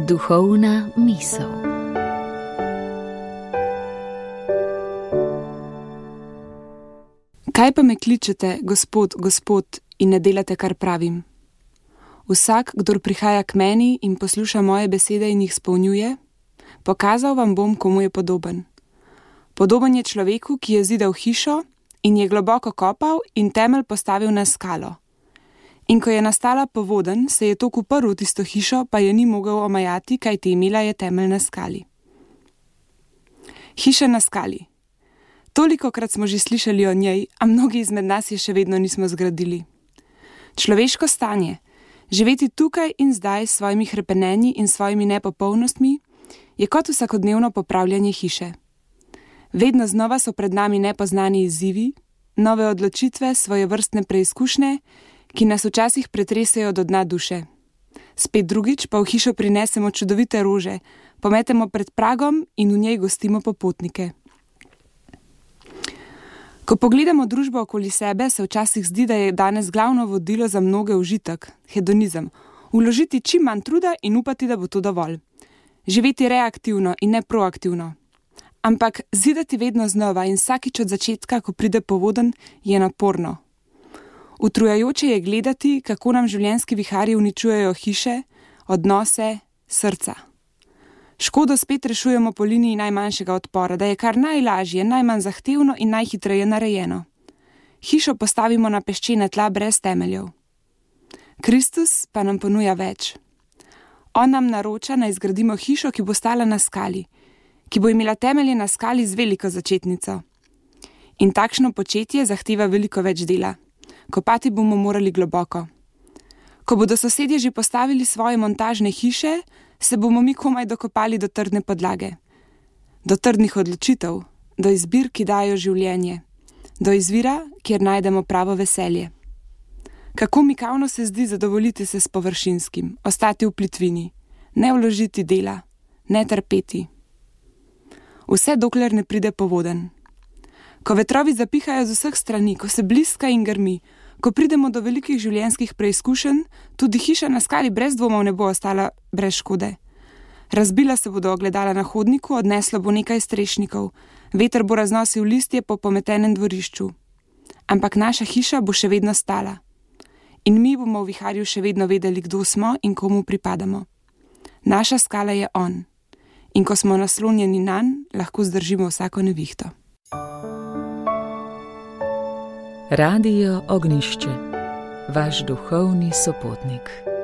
Duhovna misel. Kaj pa me kličete, Gospod, Gospod, in ne delate, kar pravim? Vsak, kdor prihaja k meni in posluša moje besede in jih izpolnjuje, pokazal vam bom, komu je podoben. Podoben je človeku, ki je zidal hišo in je globoko kopal in temelj postavil na skalo. In ko je nastala povodenj, se je tok uprl v tisto hišo, pa je ni mogel omajati, kajti imela je temelj na skali. Hiša na skali. Tolikokrat smo že slišali o njej, a mnogi izmed nas je še vedno nismo zgradili. Človeško stanje, živeti tukaj in zdaj s svojimi hrepenenji in svojimi nepopolnostmi, je kot vsakodnevno popravljanje hiše. Vedno znova so pred nami nepoznani izzivi, nove odločitve, svojevrstne preizkušnje, ki nas včasih pretresejo do dna duše. Spet drugič pa v hišo prinesemo čudovite rože, pometemo pred pragom in v njej gostimo popotnike. Ko pogledamo družbo okoli sebe, se včasih zdi, da je danes glavno vodilo za mnoge užitek, hedonizem, vložiti čim manj truda in upati, da bo to dovolj. Živeti reaktivno in ne proaktivno. Ampak zidati vedno znova in vsakič od začetka, ko pride povodenj, je naporno. Utrujajoče je gledati, kako nam življenjski viharji uničujejo hiše, odnose, srca. Škodo spet rešujemo po liniji najmanjšega odpora, da je kar najlažje, najmanj zahtevno in najhitreje narejeno. Hišo postavimo na peščene tla brez temeljev. Kristus pa nam ponuja več. On nam naroča, naj zgradimo hišo, ki bo stala na skali, ki bo imela temelje na skali z veliko začetnico. In takšno početje zahteva veliko več dela. Kopati bomo morali globoko. Ko bodo sosedje že postavili svoje montažne hiše, se bomo mi komaj dokopali do trdne podlage. Do trdnih odločitev, do izbir, ki dajo življenje. Do izvira, kjer najdemo pravo veselje. Kako mikavno se zdi zadovoljiti se s površinskim, ostati v plitvini, ne vložiti dela, ne trpeti. Vse dokler ne pride povodenj. Ko vetrovi zapihajo z vseh strani, ko se bliska in grmi, ko pridemo do velikih življenjskih preizkušenj, tudi hiša na skali brez dvomov ne bo ostala brez škode. Razbila se bodo ogledala na hodniku, odneslo bo nekaj strešnikov, veter bo raznosil listje po pometenem dvorišču. Ampak naša hiša bo še vedno stala. In mi bomo v viharju še vedno vedeli, kdo smo in komu pripadamo. Naša skala je on. In ko smo naslonjeni nanj, lahko zdržimo vsako nevihto. Radio Ognjišče, vaš duhovni sopotnik.